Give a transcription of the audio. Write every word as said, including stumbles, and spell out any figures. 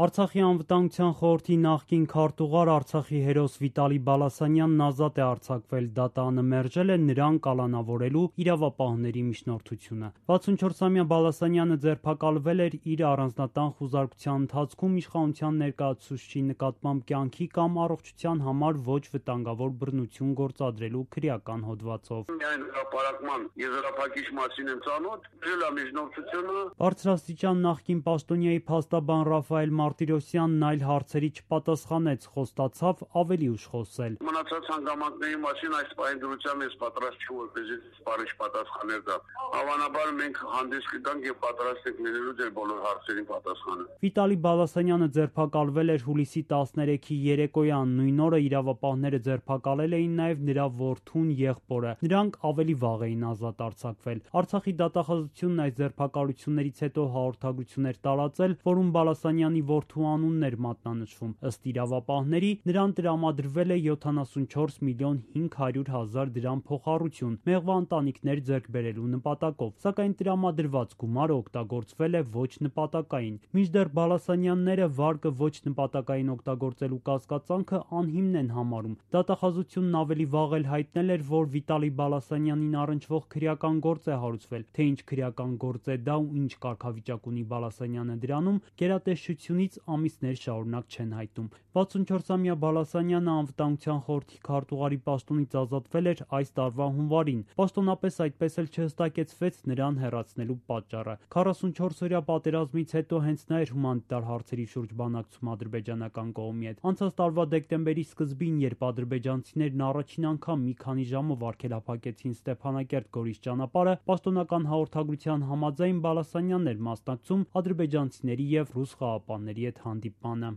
Արցախի անվտանգության խորհրդի նախկին քարտուղար, Արցախի հերոս Վիտալի Բալասանյանն ազատ է արձակվել, դատանը մերժել է նրան կալանավորելու իրավապահների միջնորդությունը։ վաթսունչորսամյա Բալասանյանը ձերբակալվել էր իր առանձնատան խուզարկության ընթացքում իշխանության ներկայացուցչի նկատմամբ կյանքի կամ առողջության համար ոչ վտանգավոր բռնություն գործադրելու քրեական հոդվածով։ Միայն հրապարակման եզրափակիչ մասին եմ ծանոթ, մերժել է միջնորդությունը։ Բարձրաստիճան նախկին պաշտոնյայի փաստաբան Ռաֆայել Մարտիրոսյանն այլ հարցերի չպատասխանեց, խոստացավ ավելի ուշ խոսել։ Մնացած հանգամանքների մասին այս պահին դրությամբ ես պատրաստ չեմ, որպեսզի սպառիչ պատասխաներ տամ։ Հավանաբար մենք հանդես կգանք եւ պատրաստ ենք լինելու ձեր բոլոր հարցերին պատասխանել։ Վիտալի Բալասանյանը ձերբակալվել էր հուլիսի տասներեքի երեկոյան, նույն օրը իրավապահները ձերբակալել էին նաեւ նրա որդուն, եղբորը։ Նրանք ավելի վաղ էին ազատ արձակվել։ Արցախի դատախազությունն այս ձերբակալություններից հետո հաղորդագրություն էր տարածել, որում Բալասանյանի որդու անունն էր մատնանշվում։ Ըստ իրավապահների, նրան տրամադրվել է յոթանասունչորս միլիոն հինգ հարյուր հազար դրամ փոխառություն մեղվա ընտանիքներ ձեռք բերելու նպատակով, սակայն տրամադրված գումարը օգտագործվել է ոչ նպատակային։ Մինչդեռ Բալասանյանները վարկը ոչ նպատակային օգտագործելու կասկածանքը անհիմն են համարում։ Դատախազությունն ավելի վաղ էլ հայտնել էր, որ Վիտալի Բալասանյանին առնչվող քրեական գործ է հարուցվել, թե ինչ քրեական գործ է դա ու ինչ կարգավիճակ ունի Բալասանյանը դրանում, գերատեսչությունից ամիսներ շարունակ չեն հայտում։ վաթսունչորսամյա Բալասանյանը անվտանգության խորհրդի քարտուղարի պաշտոնից ազատվել էր այս տարվա հունվարին։ Պաշտոնապես այդպես էլ չհստակեցվեց նրան հեռացնելու պատճառը։ քառասունչորսօրյա պատերազմից հետո հենց նա էր հումանիտար հարցերի շուրջ բանակցում ադրբեջանական կողմի հետ։ Անցած տարվա դեկտեմբերի սկզբին, երբ ադրբեջանցիներն առաջին անգամ մի քանի ժամով արգելափակեցին Ստեփանակերտ-Գորիս ճանապարհը, պաշտոնական հաղորդագրության համաձայն Բալասանյանն էր մասնակցում ադրբեջանցիների եւ ռուս խաղաղապահների հետ հանդիպմանը։